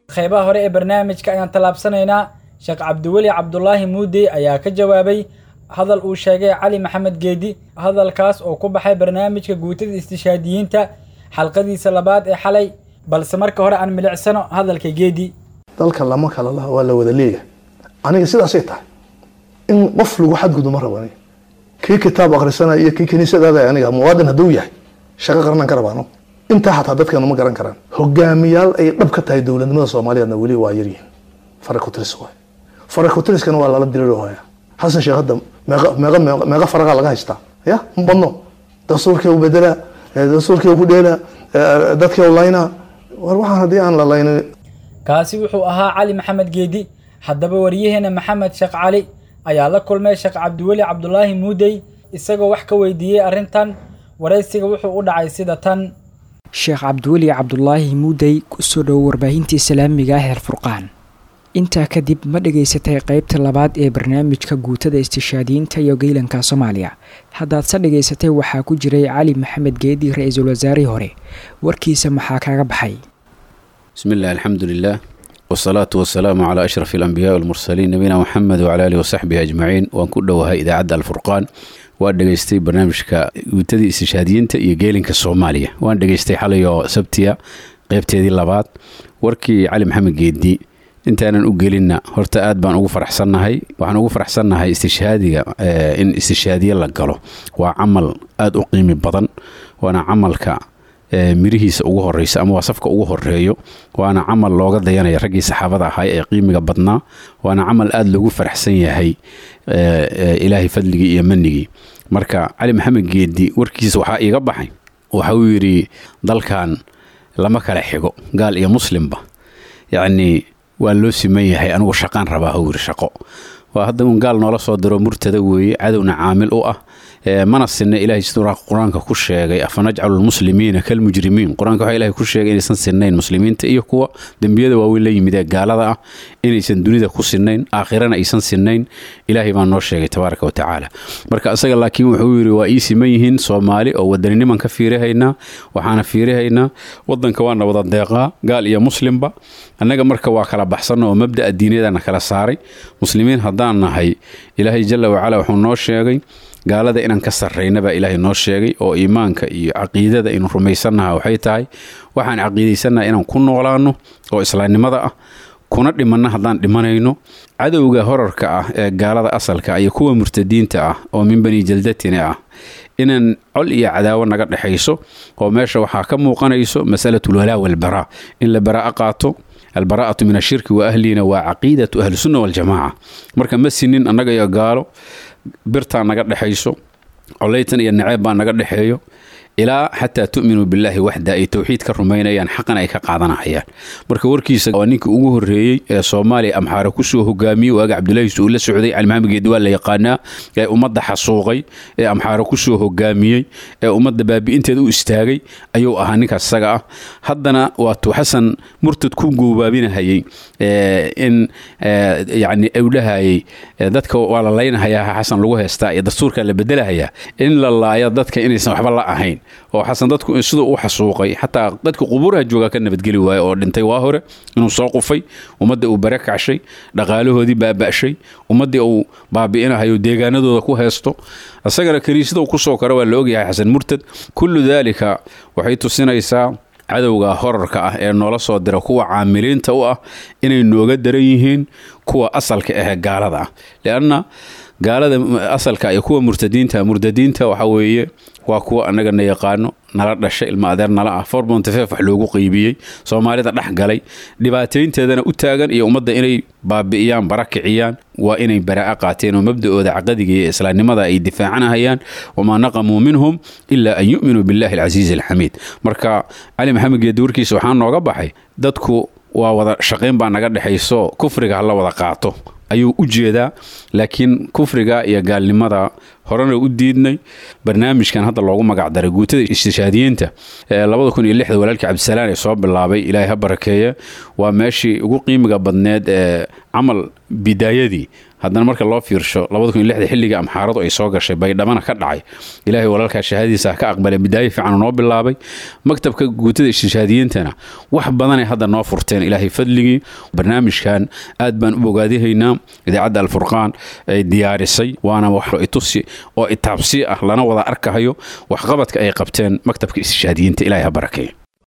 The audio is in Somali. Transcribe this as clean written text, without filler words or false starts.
Qaybaha hore ee barnaamijka ayaan tallaabsanaynaa. Sheekh Cabdiweli Cabdulaahi Muudey ayaa ka jawaabay hadal uu sheegay Cali Maxamed Geedi, hadalkaas oo ku baxay barnaamijka guutada istishaadiyiinta xalqadiisa labaad ee xalay. Balse marka hore aan milicsano hadalka Geedi. Dalka lama kala laha, waa la wada leeyahay. Aniga sidaasay tahay in qof lagu xadgudbo ma rabo. Aniga kii kitaab akhrisanaya iyo kii kiniisadaada, aniga muwaadin hadduu yahay shaqo qaranaan ka rabaano. Intaa xataa dadkeenu ma garan karaan. Hogaamiyaal ay dhab ka tahay dowladnimada Soomaaliyeedna weli waa yaryihiin, farakutiris waay. Farakutiriskana waa lala diriroohaya. Xasan Sheekh hadda meeqa meeqa meeqa meeqa faraqa laga haystaa? Ya ma badno. Dastuurkii u bedelaa, dastuurkii u ku dheelaa, dadkii u laynaa. War waxaan haddii aan la laynin. Kaasi wuxuu ahaa Cali Maxamed Geedi. Haddaba wariyaheena Maxamed Sheekh Cali ayaa la kulmay Sheekh Cabdiweli Cabdulaahi Muudey, isagoo wax ka weydiiyey arrintan. Waraysiga wuxuu u dhacay sida tan. Sheekh Cabdiweli Cabdulaahi Muudey, kusoo dhowo warbaahinta islaamiga ah Alfurqaan. Intaa kadib, ma dhegaysatay qeybta labaad ee barnaamijka guutada istishaadiyiinta iyo geylanka Soomaaliya? Haddaad se dhegaysatay, waxaa ku jiray Cali Maxamed Geedi, ra-iisul wasaarihii hore. Warkiisa maxaa kaga baxay? بسم الله، الحمد لله، والصلاة والسلام على أشرف الأنبياء والمرسلين، نبينا محمد وعلى آله وصحبه أجمعين. Waan ku dhowahay idaacadda Alfurqaan. Waan dhegaystay barnaamijka guutadii istishhaadiyiinta iyo geelinka Soomaaliya. Waan dhegaystay xalay oo Sabtiya qeybteedii labaad. Warkii Cali Maxamed Geedi intaanan u gelinna, horta aad baan ugu faraxsannahay. Waxaan ugu faraxsannahay istishhaadiga. In istishhaadiye la galo waa camal aad u qiimi badan, waana camalka mirihiisa ugu horeysa ama waa safka ugu horeeyo, waana camal looga dayanaya raggii saxaabada ahaa ee qiimiga badnaa, waana camal aada loogu faraxsan yahay Ilaahay fadligii iyo manigii. Marka Cali Maxamed Geedi warkiisa waxaa iiga baxay, waxa uu yidhi dalkan lama kala xigo, gaal iyo muslimba, yacni waa loo siman yahay. Anigu shaqaan rabaa, huu yidhi. Shaqo waa hadda un gaal noola soo diro, murtada weeye, cadowna caamil u ah. Mana sinna. Ilahay siduu Qur-aanka ku sheegay: "Afanajcalu lmuslimiina kalmujrimiin?" Qur-aanka waxaa Ilahay ku sheegay inaysan sinnayn muslimiinta iyo kuwa dembiyada waaweyn la yimid ee gaalada ah, inaysan dunida ku sinnayn, aakhirana aysan sinnayn. Ilaahay baa noo sheegay tabaaraka wa tacaala. Marka isaga laakiin wuxuu yidhi waa ii siman yihiin Soomaali oo wadaniniman ka fiirihaynaa. Waxaana fiirihaynaa wadanka waana wada deeqaa, gaal iyo muslimba. Annaga marka waa kala baxsanno oo mabda'a diiniyadana kala saaray. Muslimiin haddaan nahay, Ilaahay jalla wacala wuxuu noo sheegay gaalada inaan ka sarrayna baa Ilaahay noo sheegay, oo iimaanka iyo caqiidada aynu rumaysannaha waxay tahay waxaan caqiidaysannaha inaan ku noolaanno oo islaamnimada ah, kuna dhimanna haddaan dhimanayno. Cadowga horarka ah ee gaalada asalka iyo kuwa murtadiinta ah oo min bani jaldatina ah inaan col iyo cadaawo naga dhexayso, oo meesha waxaa ka muuqanayso masalatul walaa walbaraa, in la baraa'a qaato. Albaraa'atu min ashirki wa ahlina waa caqiidatu ahlusunna waljamaaca. Marka ma sinin annaga iyo gaalo, birtaa naga dhexayso, coleytan iyo naceeb baa naga dhexeeyo, ilaa xataa tu'minuu billaahi waxda ay towxiid ka rumaynayaan, xaqana ay ka qaadanahayaan. Marka warkiisa waa ninkii ugu horreeyey ee Soomaaliya Amxaare kusoo hogaamiyey waaga Cabdullaahi uu la socday. Cali Maxamed Geedi waa la yaqaanaa, ee ummadda xasuuqay, ee Amxaare kusoo hogaamiyey, ee ummadda baabi'inteeda u istaagay ayuu ahaa ninkaas isaga ah. Haddana waatuu Xasan murtad ku goobaabinahayey in yacni uu dhahayay dadka waa la laynahayaa, Xasan lagu heystaa iyo dastuurka la bedelahayaa, in la laayo dadka inaysan waxba la ahayn, oo Xasan dadku siduu u xasuuqay xataa dadka qubuuraha joogaa ka nabadgeli waaye oo dhintay waa hore, inuu soo qufay, ummadda uu bare kacshay, dhaqaalahoodii baaba'shay, ummaddii uu baabi'inahayo, deegaanadooda ku heesto, isagana kiniisada uu kusoo karo waa la ogyahay Xasan murtad. Kullu daalika waxay tusinaysaa cadowga horarka ah ee noola soo dira kuwa caamiliinta u ah inay nooga daran yihiin kuwa asalka ahee gaalada ah, lianna gaalada asalka iyo kuwa murtadiinta, murtadiinta waxa weeye waa kuwa annaga na yaqaano, nala dhashay, ilma adeer nala ah, 4.5 wax loogu qeybiyey, Soomaalida dhex galay, dhibaataynteedana u taagan iyo ummadda inay baabi'iyaan, bara kiciyaan. Waa inay baraa'a qaateen oo mabda'ooda caqadiga iyo islaamnimada ay difaacanahayaan. Wamaa naqamuu minhum ilaa an yu'minuu billahi alcasiizi alxamiid. Marka Cali Maxamed Geedi warkiisa waxaa nooga baxay dadku waa wada shaqayn baa naga dhexayso, kufriga hala wada qaato ayuu u jeedaa, laakiin kufriga iyo gaalnimada Horena u diidnay barnaamijkan hadda loogu magacdaray guutada istishaadiyiinta ee 2006 walaalkii Cabdisalaan ee soo bilaabay, Ilaahay ha barakeeya. Waa meeshii ugu qiimiga badneed ee camal bidaayadii. Haddana marka loo fiirsho 2006 xilliga Amxaaradu ay soo gashay Baydhabana ka dhacay, Ilaahay walaalkaa shahaadiisa ha ka aqbalay, bidaayo fiican noo bilaabay. Maktabka guutada istishaadiyiintana wax badanay hadda noo furteen, Ilaahay fadligii. Barnaamijkan aad baan u bogaadihaynaa idaacadda Alfurqaan ay diyaarisay, waana wax itusi oo itaabsi ah, lana wada arkahayo waxqabadka ay qabteen maktabka istishaadiyiinta. Ilaahay ha barakeeyo.